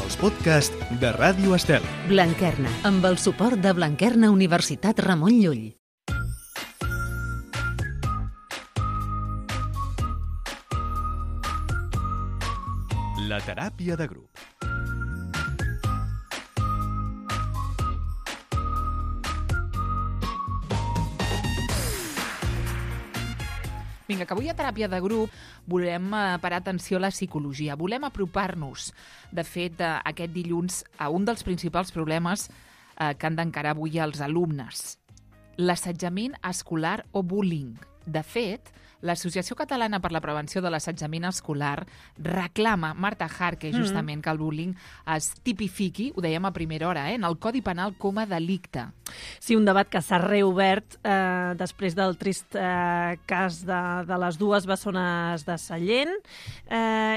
els podcasts de Ràdio Estel. Blanquerna, amb el suport de Blanquerna Universitat Ramon Llull. La teràpia de grup. Vinga, que avui a Teràpia de Grup volem parar atenció a la psicologia. Volem apropar-nos, de fet, aquest dilluns a un dels principals problemes que han d'encarar avui els alumnes. L'assetjament escolar o bullying. De fet, l'Associació Catalana per la Prevenció de l'Assetjament Escolar reclama, Marta Jarque, justament, que el bullying es tipifiqui, ho dèiem a primera hora, en el Codi Penal com a delicte. Sí, un debat que s'ha reobert després del trist cas de les dues bessones de Sallent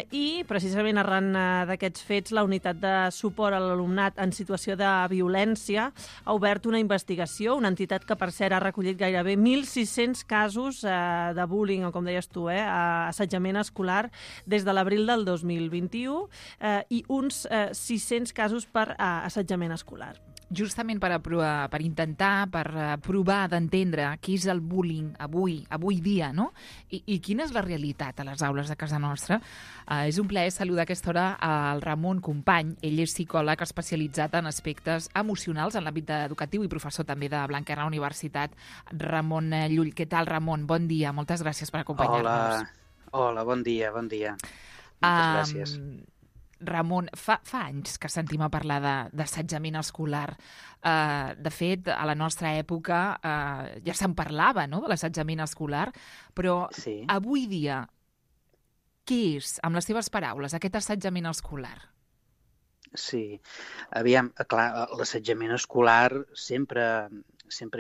i, precisament arran d'aquests fets, la Unitat de Suport a l'Alumnat en Situació de Violència ha obert una investigació, una entitat que, per cert, ha recollit gairebé 1.600 casos de bullying, o com deies tu, assetjament escolar des de l'abril del 2021 i uns 600 casos per assetjament escolar. Justament per intentar, per provar d'entendre què és el bullying avui dia, no? I quina és la realitat a les aules de casa nostra. És un plaer saludar a aquesta hora al Ramon Company. Ell és psicòleg especialitzat en aspectes emocionals en l'àmbit educatiu i professor també de Blanquerna Universitat. Ramon Llull, què tal, Ramon? Bon dia, moltes gràcies per acompanyar-nos. Hola, bon dia. Moltes gràcies. Ramon, fa anys que sentim a parlar d'assetjament escolar. De fet, a la nostra època ja se'n parlava, no?, de l'assetjament escolar, però sí. Avui dia, què és, amb les teves paraules, aquest assetjament escolar? Sí, aviam, clar, l'assetjament escolar sempre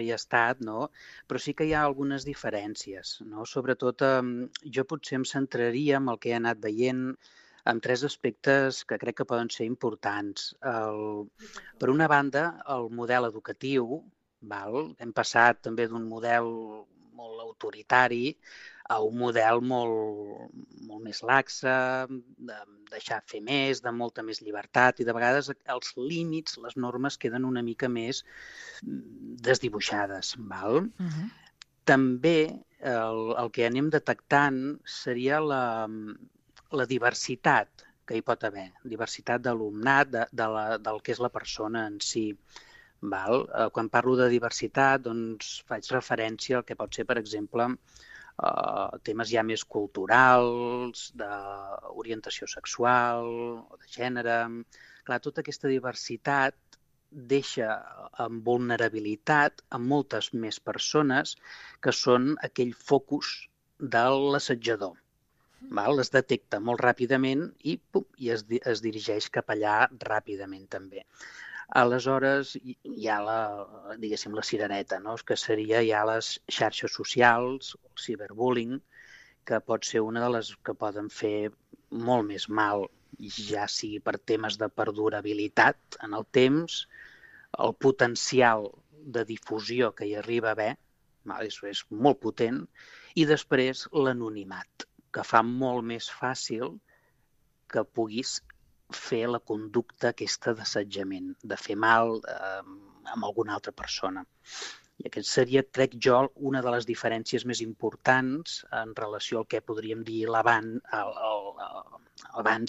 hi ha estat, no? Però sí que hi ha algunes diferències, no? Sobretot, jo potser em centraria en el que he anat veient amb tres aspectes que crec que poden ser importants. Per una banda, el model educatiu. Hem passat també d'un model molt autoritari a un model molt més laxe, de deixar fer més, de molta més llibertat, i de vegades els límits, les normes, queden una mica més desdibuixades. També el que anem detectant seria la diversitat que hi pot haver, diversitat d'alumnat, del que és la persona en si. Quan parlo de diversitat, doncs faig referència al que pot ser, per exemple, temes ja més culturals, d'orientació sexual o de gènere. Clar, tota aquesta diversitat deixa en vulnerabilitat a moltes més persones que són aquell focus de l'assetjador. Es detecta molt ràpidament i es dirigeix cap allà ràpidament també. Aleshores, hi ha la cirereta, no?, que seria ja les xarxes socials, el ciberbullying, que pot ser una de les que poden fer molt més mal, ja sigui per temes de perdurabilitat en el temps, el potencial de difusió que hi arriba a haver, és molt potent, i després l'anonimat, que fa molt més fàcil que puguis fer la conducta aquesta d'assetjament, de fer mal a alguna altra persona. I aquest seria, crec jo, una de les diferències més importants en relació al que podríem dir l'abans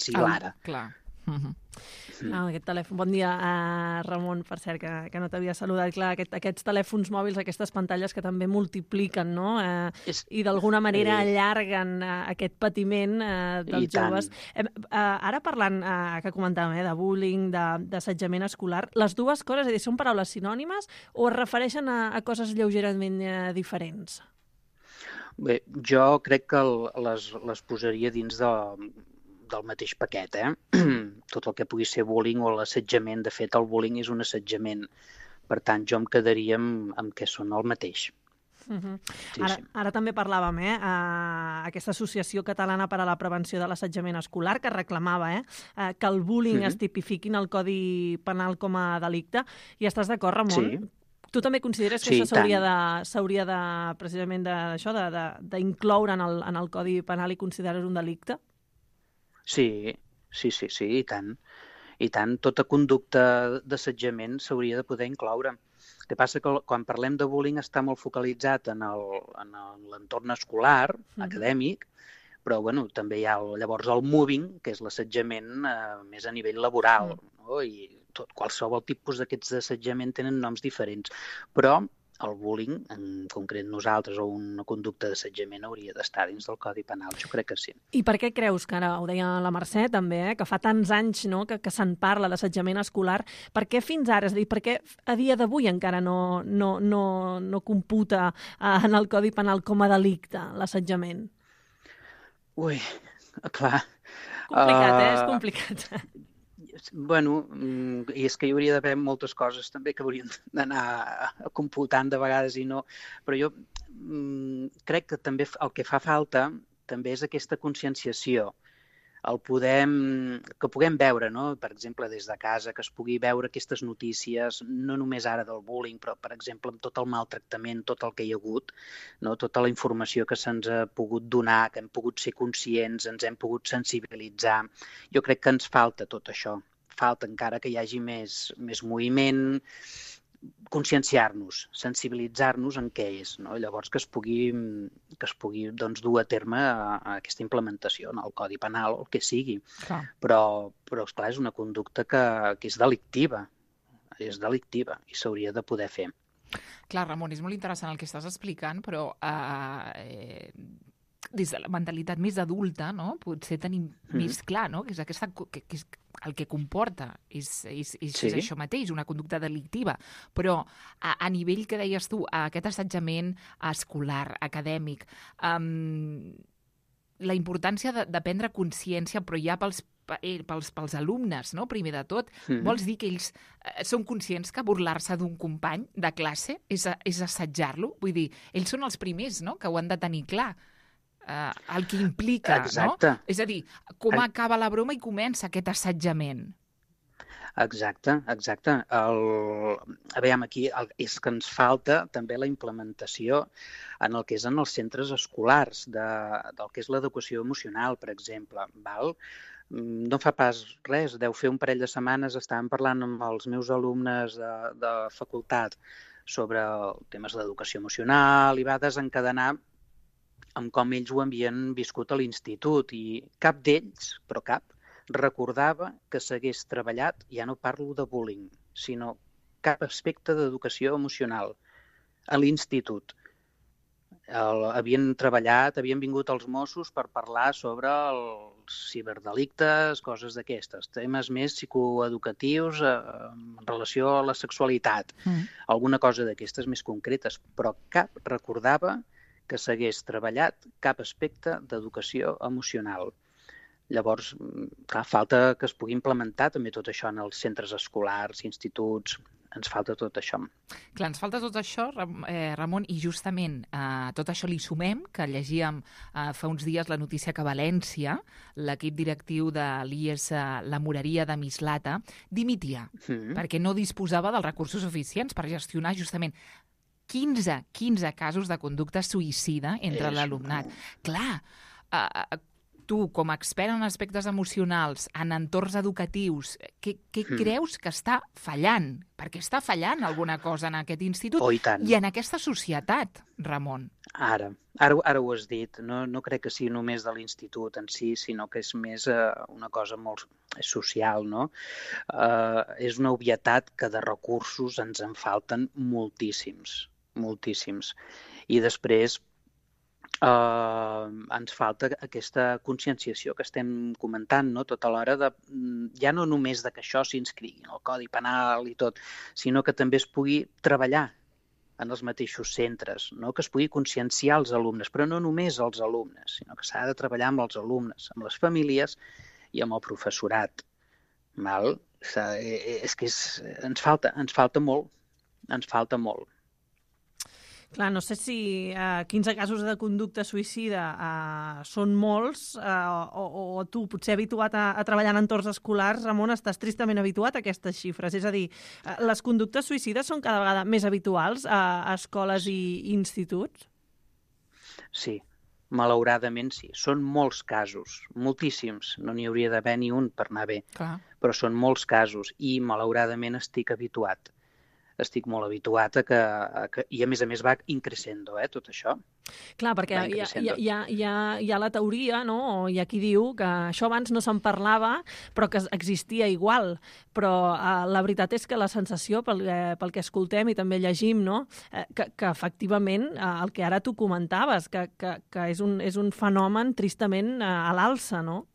i l'ara. Clar. Aquest telèfon. Bon dia, Ramon, per cert, que no t'havia saludat. Clar, aquests telèfons mòbils, aquestes pantalles que també multipliquen, no? I d'alguna manera allarguen aquest patiment dels joves. Ara parlant, que comentàvem, de bullying, d'assetjament escolar, les dues coses, és a dir, són paraules sinònimes o es refereixen a coses lleugerament diferents? Bé, jo crec que les posaria dins del mateix paquet, tot el que pugui ser bullying o l'assetjament. De fet, el bullying és un assetjament. Per tant, jo em quedaria amb què són el mateix. Ara també parlàvem, aquesta Associació Catalana per a la Prevenció de l'Assetjament Escolar, que reclamava que el bullying es tipifiqui en el Codi Penal com a delicte. I estàs d'acord, Ramon? Sí. Tu també consideres que això s'hauria de precisament d'incloure en el Codi Penal i consideres un delicte? Sí, i tant. I tant, tota conducta d'assetjament s'hauria de poder incloure. El que passa que quan parlem de bullying està molt focalitzat en l'entorn escolar, acadèmic, però bueno, també hi ha llavors el mobbing, que és l'assetjament més a nivell laboral, no? I qualsevol tipus d'aquests d'assetjament tenen noms diferents, però el bullying, en concret nosaltres, o una conducta d'assetjament hauria d'estar dins del Codi Penal, jo crec que sí. I per què creus, que ara ho deia la Mercè també, que fa tants anys, no, que se'n parla d'assetjament escolar, per què fins ara, és a dir, per què a dia d'avui encara no computa en el Codi Penal com a delicte l'assetjament? Ui, clar. Complicat, és complicat. Bueno, i és que hi hauria d'haver moltes coses també que haurien d'anar computant de vegades i no, però jo crec que també el que fa falta també és aquesta conscienciació, que puguem veure, no? Per exemple, des de casa, que es pugui veure aquestes notícies, no només ara del bullying, però, per exemple, amb tot el maltractament, tot el que hi ha hagut, no? Tota la informació que se'ns ha pogut donar, que hem pogut ser conscients, ens hem pogut sensibilitzar. Jo crec que ens falta tot això. Falta encara que hi hagi més moviment, conscienciar-nos, sensibilitzar-nos en què és, no? Llavors que es pugui doncs, dur a terme aquesta implementació en el Codi Penal o el que sigui. Clar. Però esclar, és una conducta que és delictiva i s'hauria de poder fer. Clar, Ramon, és molt interessant el que estàs explicant, però des de la mentalitat més adulta, no? Potser tenim més clar, no? Que és aquesta, que és el que comporta és això mateix, una conducta delictiva. Però a nivell que deies tu, aquest assetjament escolar, acadèmic, la importància de prendre consciència, però ja pels alumnes, no? Primer de tot, vols dir que ells són conscients que burlar-se d'un company de classe és assetjar-lo? Vull dir, ells són els primers, no?, que ho han de tenir clar. El que implica, exacte. No? És a dir, com acaba la broma i comença aquest assetjament. Exacte. Aviam, aquí és que ens falta també la implementació en el que és en els centres escolars, del que és l'educació emocional, per exemple. Val? No fa pas res, deu fer un parell de setmanes estàvem parlant amb els meus alumnes de facultat sobre temes d'educació emocional i va desencadenar amb com ells ho havien viscut a l'institut i cap d'ells, però cap, recordava que s'hagués treballat, ja no parlo de bullying, sinó cap aspecte d'educació emocional a l'institut. Havien treballat, havien vingut els Mossos per parlar sobre els ciberdelictes, coses d'aquestes, temes més psicoeducatius en relació a la sexualitat, alguna cosa d'aquestes més concretes, però cap recordava que s'hagués treballat cap aspecte d'educació emocional. Llavors, clar, falta que es pugui implementar també tot això en els centres escolars, instituts, ens falta tot això. Clar, ens falta tot això, Ramon, i justament tot això li sumem, que llegíem fa uns dies la notícia que a València l'equip directiu de l'IES La Moreria de Mislata dimitia, perquè no disposava dels recursos suficients per gestionar justament 15 casos de conducta suïcida entre l'alumnat. Clar, tu, com a expert en aspectes emocionals, en entorns educatius, què creus que està fallant? Perquè està fallant alguna cosa en aquest institut i en aquesta societat, Ramon. Ara ho has dit. No crec que sigui només de l'institut en si, sinó que és més una cosa molt social, no? És una obvietat que de recursos ens en falten moltíssims. I després ens falta aquesta conscienciació que estem comentant, no? Tota l'hora ja no només que això s'inscrigui en el Codi Penal i tot, sinó que també es pugui treballar en els mateixos centres, no? Que es pugui conscienciar els alumnes, però no només els alumnes, sinó que s'ha de treballar amb els alumnes, amb les famílies i amb el professorat. Val? És que ens falta molt. Clar, no sé si 15 casos de conducta suïcida són molts o tu, potser habituat a treballar en entorns escolars, Ramon, estàs tristament habituat a aquestes xifres. És a dir, les conductes suïcides són cada vegada més habituals a escoles i instituts? Sí, Malauradament sí. Són molts casos, moltíssims. No n'hi hauria d'haver ni un per anar bé. Clar. Però són molts casos i malauradament estic habituat. Estic molt habituat i a més va increscendo, tot això. Clar, perquè hi ha la teoria, no? O hi ha qui diu que això abans no se'n parlava, però que existia igual. Però la veritat és que la sensació, pel que escoltem i també llegim, no? Que efectivament, el que ara tu comentaves, que és un fenomen tristament a l'alça, no?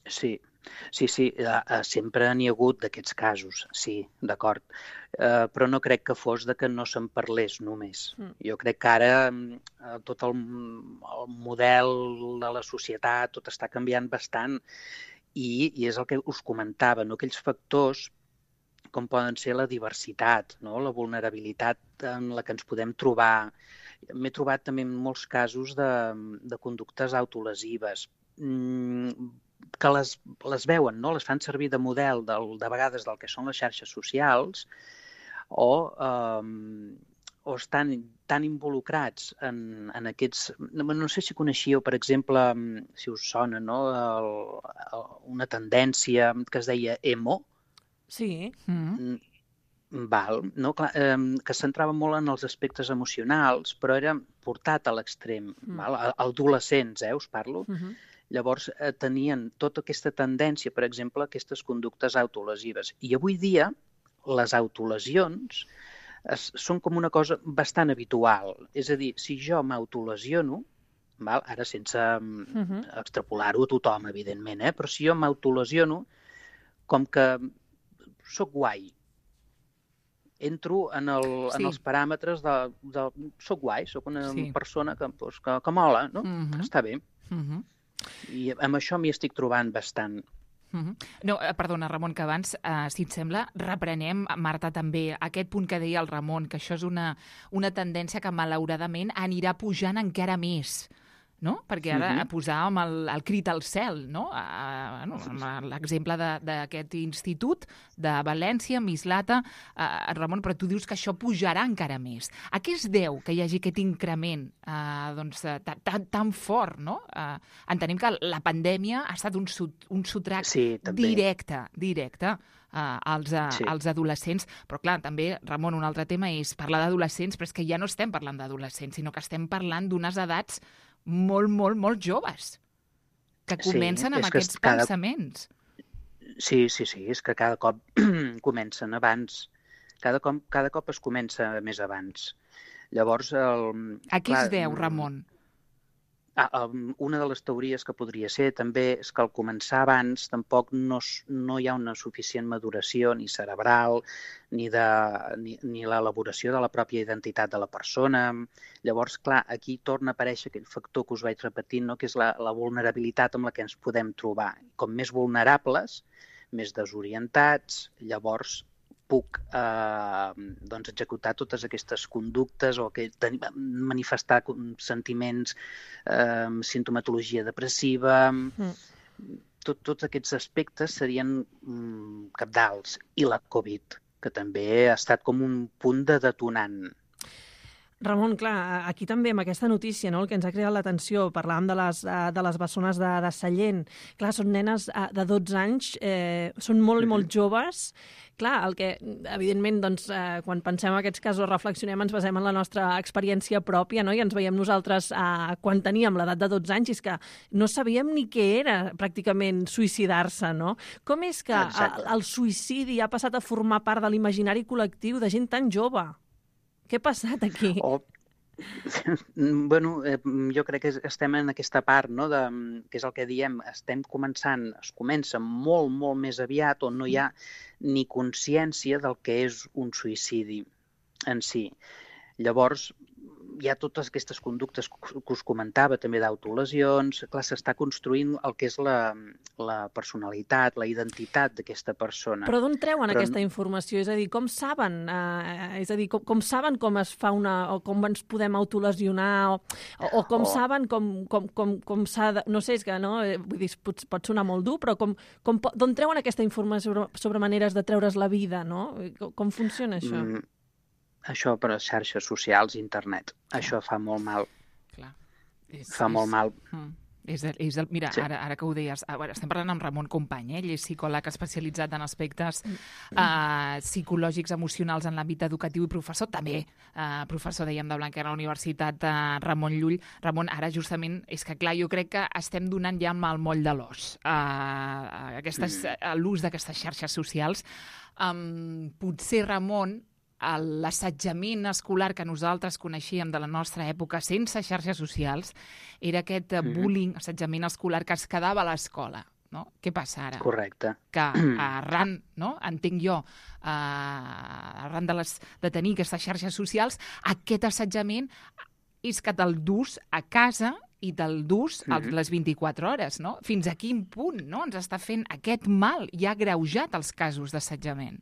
Sí, sempre n'hi ha hagut d'aquests casos, sí, d'acord. Però no crec que fos de que no se'n parlés només. Jo crec que ara tot el model de la societat, tot està canviant bastant i és el que us comentava, no? Aquells factors com poden ser la diversitat, no? La vulnerabilitat en la que ens podem trobar. M'he trobat també en molts casos de conductes autolesives, que les veuen, no? Les fan servir de model de vegades del que són les xarxes socials o estan tan involucrats en aquests... No sé si coneixíeu, per exemple, si us sona, no? Una tendència que es deia emo. Sí. Val, no? Clar, que es centrava molt en els aspectes emocionals, però era portat a l'extrem. Adolescents, us parlo. Llavors tenien tota aquesta tendència, per exemple, a aquestes conductes autolesives. I avui dia les autolesions són com una cosa bastant habitual. És a dir, si jo m'autolesiono, ara sense extrapolar-ho a tothom, evidentment, però si jo m'autolesiono, com que soc guai, entro en els paràmetres de soc guai, soc una persona que mola, no? Que està bé. I amb això m'hi estic trobant bastant. No, perdona, Ramon, que abans, si et sembla, reprenem, Marta, també aquest punt que deia el Ramon, que això és una tendència que malauradament anirà pujant encara més, no? Perquè ara posàvem el crit al cel, no? L'exemple d'aquest institut de València, Mislata, Ramon, però tu dius que això pujarà encara més. A què es deu que hi hagi aquest increment tan fort, no? Entenem que la pandèmia ha estat un sotrac directe als adolescents, però clar, també, Ramon, un altre tema és parlar d'adolescents, però és que ja no estem parlant d'adolescents, sinó que estem parlant d'unes edats molt, molt, molt joves, que comencen amb aquests pensaments. Sí, és que cada cop comencen abans. Cada cop es comença més abans. Llavors... A què es deu, Ramon? Una de les teories que podria ser també és que al començar abans tampoc no hi ha una suficient maduració ni cerebral ni l'elaboració de la pròpia identitat de la persona. Llavors, clar, aquí torna a aparèixer aquell factor que us vaig repetint, no? Que és la vulnerabilitat amb la que ens podem trobar. Com més vulnerables, més desorientats, llavors puc executar totes aquestes conductes o manifestar sentiments, simptomatologia depressiva. Tots aquests aspectes serien cabdals. I la Covid, que també ha estat com un punt de detonant. Ramon, clar, aquí també amb aquesta notícia, no, el que ens ha cridat l'atenció, parlàvem de les bessones de Sallent. Clar, són nenes de 12 anys, són molt, molt joves. Clar, el que, evidentment, doncs, quan pensem en aquests casos, reflexionem, ens basem en la nostra experiència pròpia, no? I ens veiem nosaltres quan teníem l'edat de 12 anys, i és que no sabíem ni què era, pràcticament, suïcidar-se, no? Com és que el suïcidi ha passat a formar part de l'imaginari col·lectiu de gent tan jove? Què ha passat aquí? Jo crec que estem en aquesta part, no? Que és el que diem, es comença molt, molt més aviat, on no hi ha ni consciència del que és un suïcidi en si. Llavors, hi ha totes aquestes conductes que us comentava, també d'autolesions. Clar, s'està construint el que és la personalitat, la identitat d'aquesta persona. Però d'on treuen aquesta informació? És a dir, com saben? Com saben com es fa o com ens podem autolesionar? O com saben com s'ha de... No sé, és que no, vull dir, pot sonar molt dur, però d'on treuen aquesta informació sobre maneres de treure's la vida, no? Com funciona això? Això per a xarxes socials, internet. Això fa molt mal. Clar. Fa molt mal. Mira, Sí. ara que ho deies, estem parlant amb Ramon Company, ell és psicòleg especialitzat en aspectes psicològics, emocionals en l'àmbit educatiu i professor, també professor, dèiem, de Blanquerna a la Universitat Ramon Llull. Ramon, ara justament, és que clar, jo crec que estem donant ja amb el moll de l'os l'ús d'aquestes xarxes socials. Potser, Ramon, l'assetjament escolar que nosaltres coneixíem de la nostra època sense xarxes socials era aquest bullying, assetjament escolar que es quedava a l'escola. No? Què passa ara? Correcte. Que arran, no? Entenc jo, arran de tenir aquestes xarxes socials, aquest assetjament és que te'l dus a casa i te'l dus a les 24 hores. No? Fins a quin punt, no? Ens està fent aquest mal i ha agreujat els casos d'assetjament.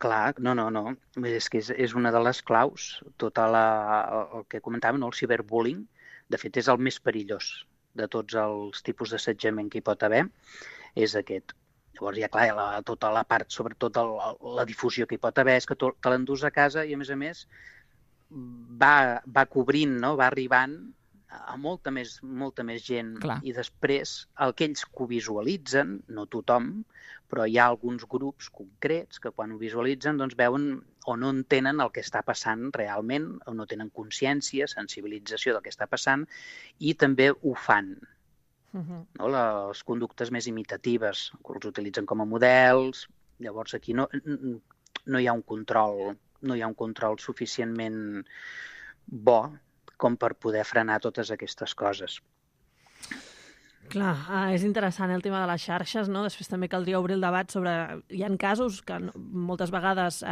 Clar, no. És que és una de les claus, el que comentàvem, no? El ciberbullying, de fet, és el més perillós de tots els tipus d'assetjament que hi pot haver, és aquest. Llavors, ja clar, tota la part, sobretot la difusió que hi pot haver, és que te l'endús a casa i, a més, va cobrint, no? Va arribant a molta més gent. Clar. I després, aquells que ho visualitzen, no tothom, però hi ha alguns grups concrets que quan ho visualitzen doncs veuen o no entenen el que està passant realment, o no tenen consciència, sensibilització del que està passant, i també ho fan. No? Les conductes més imitatives, que els utilitzen com a models. Llavors aquí no hi ha un control suficientment bo com per poder frenar totes aquestes coses. Clar, és interessant el tema de les xarxes, no? Després també caldria obrir el debat sobre... Hi ha casos que moltes vegades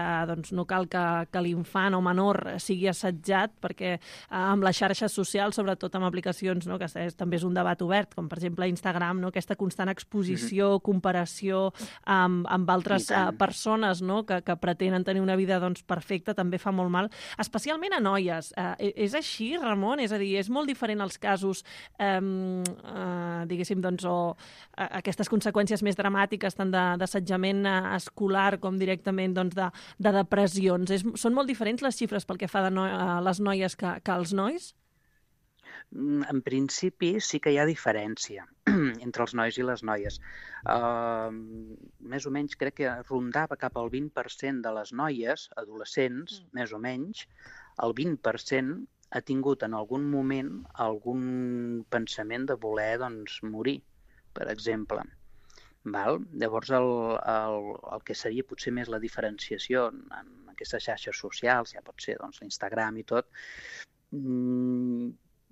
no cal que l'infant o menor sigui assetjat, perquè amb les xarxes socials, sobretot amb aplicacions, no? Que també és un debat obert, com per exemple Instagram, no? Aquesta constant exposició, comparació amb altres persones, no? Que pretenen tenir una vida perfecta, també fa molt mal, especialment a noies. És així, Ramon? És a dir, és molt diferent els casos diguéssim, o aquestes conseqüències més dramàtiques tant d'assetjament escolar com directament de depressions. Són molt diferents les xifres pel que fa a les noies que als nois? En principi sí que hi ha diferència entre els nois i les noies. Més o menys crec que rondava cap al 20% de les noies, adolescents, més o menys, el 20% ha tingut en algun moment algun pensament de voler morir, per exemple. Llavors, el que seria potser més la diferenciació en aquestes xarxes socials, ja pot ser l'Instagram i tot,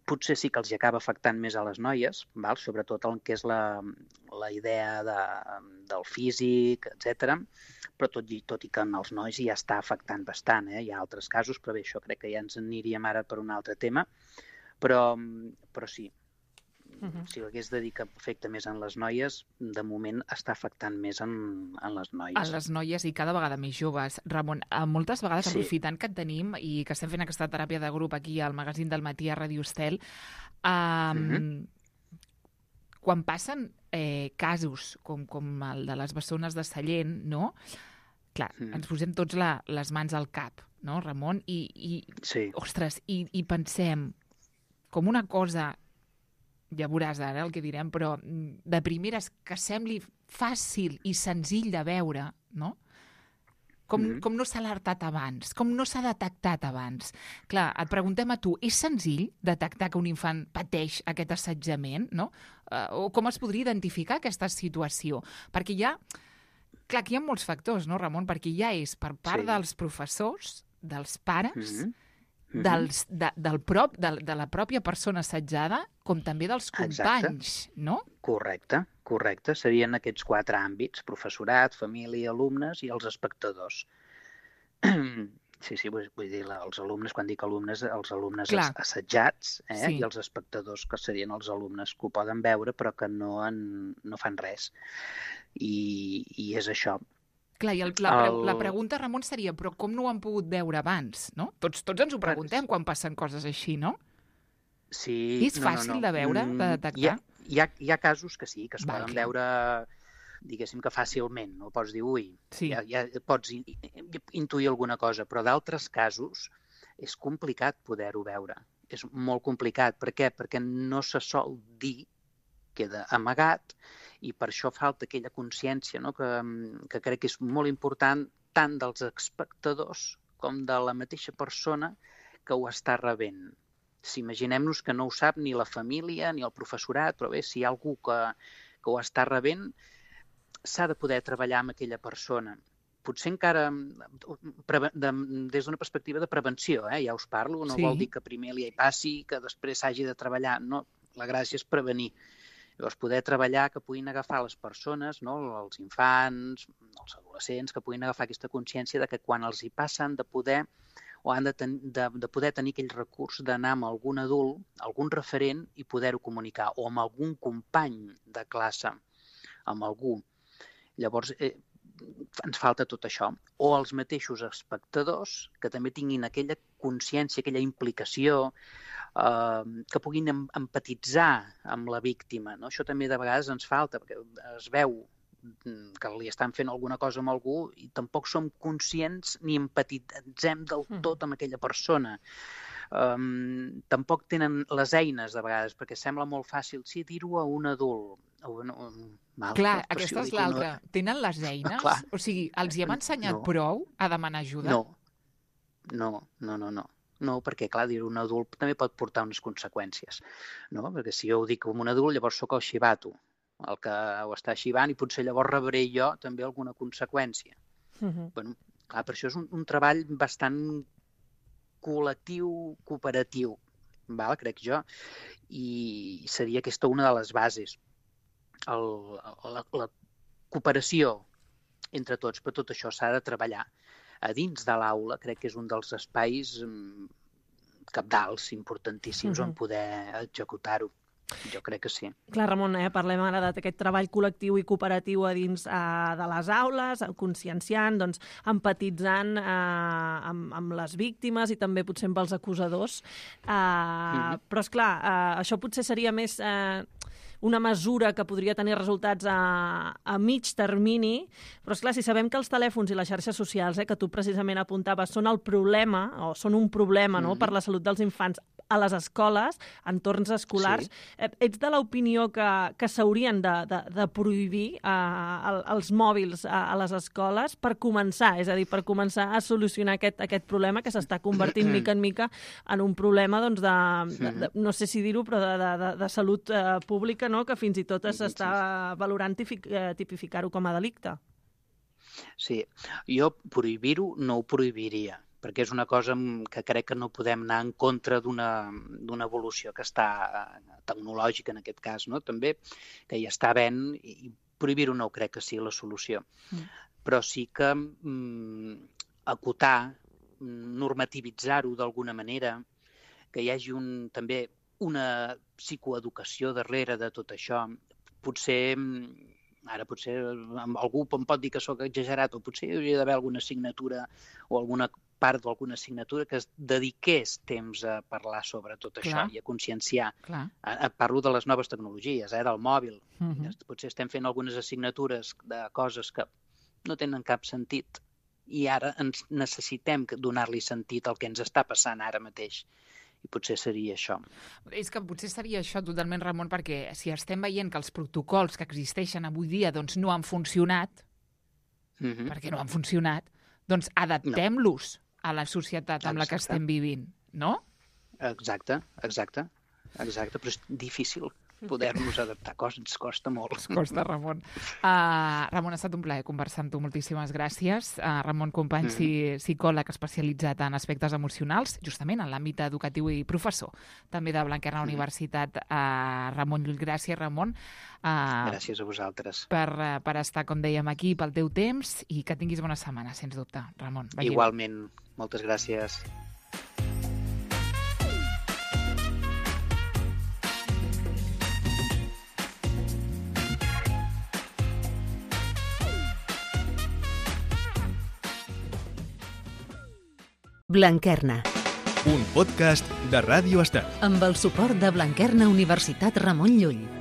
potser sí que els hi acaba afectant més a les noies, sobretot el que és la idea del físic, etc. Però tot i que en els nois ja està afectant bastant. Hi ha altres casos, però bé, això crec que ja ens aniríem ara per un altre tema. Però sí, si hagués de dir que afecta més en les noies, de moment està afectant més en les noies. A les noies i cada vegada més joves. Ramon, moltes vegades, aprofitant que et tenim i que estem fent aquesta teràpia de grup aquí al magazín del matí a Ràdio Estel, quan passen casos com el de les bessones de Sallent, no? Clar, ens posem tots les mans al cap, no, Ramon? Ostres, i pensem com una cosa, ja veuràs ara el que direm, però de primeres que sembli fàcil i senzill de veure, no? Com no s'ha alertat abans, com no s'ha detectat abans. Clar, et preguntem a tu, és senzill detectar que un infant pateix aquest assetjament, no? O com es podria identificar aquesta situació? Perquè hi ha... Clar, aquí hi ha molts factors, no, Ramon? Perquè ja és per part dels professors, dels pares, de la pròpia persona assetjada, com també dels companys, no? Correcte. Serien aquests 4 àmbits: professorat, família, alumnes i els espectadors. Sí, vull dir, els alumnes, quan dic alumnes, els alumnes assetjats, i els espectadors, que serien els alumnes que ho poden veure però que no fan res. I és això. Clar, i la pregunta, Ramon, seria, però com no ho han pogut veure abans, no? Tots ens ho preguntem quan passen coses així, no? Sí. És fàcil de veure, de detectar? Hi ha casos que sí, que es poden veure, diguéssim que fàcilment, no pots dir, ja pots intuir alguna cosa, però d'altres casos és complicat poder-ho veure. és molt complicat. Per què? Perquè no se sol dir, queda amagat, i per això falta aquella consciència, no? que crec que és molt important tant dels espectadors com de la mateixa persona que ho està rebent. Si imaginem-nos que no ho sap ni la família ni el professorat, però bé, si hi ha algú que ho està rebent, s'ha de poder treballar amb aquella persona. Potser encara des d'una perspectiva de prevenció, ja us parlo, no vol dir que primer li passi, que després s'hagi de treballar. No, la gràcia és prevenir. Llavors, poder treballar que puguin agafar les persones, no? Els infants, els adolescents, que puguin agafar aquesta consciència de que quan els hi passa han de poder o han de poder tenir aquell recurs d'anar amb algun adult, algun referent, i poder-ho comunicar, o amb algun company de classe, amb algú. Llavors, ens falta tot això. O els mateixos espectadors, que també tinguin aquella consciència, aquella implicació, que puguin empatitzar amb la víctima. No? Això també de vegades ens falta, perquè es veu que li estan fent alguna cosa amb algú i tampoc som conscients ni empatitzem del tot amb aquella persona. Tampoc tenen les eines, de vegades, perquè sembla molt fàcil, sí, dir-ho a un adult. Clar, aquesta és l'altra. Tenen les eines? O sigui, els hi hem ensenyat prou a demanar ajuda? No, perquè, clar, dir-ho a un adult també pot portar unes conseqüències. No? Perquè si jo ho dic a un adult, llavors sóc el xivato, el que ho està xivant, i potser llavors rebré jo també alguna conseqüència. Bueno, clar, per això és un treball bastant col·lectiu, cooperatiu, crec jo, i seria aquesta una de les bases. La cooperació entre tots, però tot això s'ha de treballar. A dins de l'aula crec que és un dels espais cabdals, importantíssims, on poder executar-ho. Jo crec que sí. Clar, Ramon, parlem ara d'aquest treball col·lectiu i cooperatiu a dins de les aules, conscienciant, doncs, empatitzant amb les víctimes i també potser amb els acusadors. Però, esclar, això potser seria més una mesura que podria tenir resultats a mig termini, però, esclar, si sabem que els telèfons i les xarxes socials, que tu precisament apuntaves, són el problema, o són un problema per la salut dels infants a les escoles, entorns escolars, ets de l'opinió que s'haurien de prohibir els mòbils a les escoles per començar, és a dir, per començar a solucionar aquest problema que s'està convertint mica en mica en un problema, doncs, no sé si dir-ho, però de salut pública, no? Que fins i tot s'està valorant tipificar-ho com a delicte. Sí, jo prohibir-ho no ho prohibiria, perquè és una cosa que crec que no podem anar en contra d'una evolució que està tecnològica, en aquest cas, no? També, que hi està havent, i prohibir-ho no crec que sigui la solució. Però sí que acotar, normativitzar-ho d'alguna manera, que hi hagi també una psicoeducació darrere de tot això. Potser algú em pot dir que sóc exagerat, o potser hi hauria d'haver alguna assignatura o alguna part d'alguna assignatura que es dediqués temps a parlar sobre tot això i a conscienciar. Parlo de les noves tecnologies, del mòbil. Potser estem fent algunes assignatures de coses que no tenen cap sentit i ara ens necessitem donar-li sentit al que ens està passant ara mateix. I potser seria això. És que potser seria això totalment, Ramon, perquè si estem veient que els protocols que existeixen avui dia doncs no han funcionat, perquè no han funcionat, doncs adaptem-los a la societat amb la que estem vivint, no? Exacte, però és difícil poder-nos adaptar, ens costa molt. Ens costa, Ramon. Ramon, ha estat un plaer conversar amb tu, moltíssimes gràcies. Ramon Company, psicòleg especialitzat en aspectes emocionals, justament en l'àmbit educatiu i professor, també de Blanquerna Universitat. Ramon Llull, gràcies, Ramon. Gràcies a vosaltres. Per estar, com dèiem, aquí, pel teu temps, i que tinguis bona setmana, sens dubte, Ramon. Igualment, moltes gràcies. Blanquerna. Un podcast de Ràdio Estel. Amb el suport de Blanquerna Universitat Ramon Llull.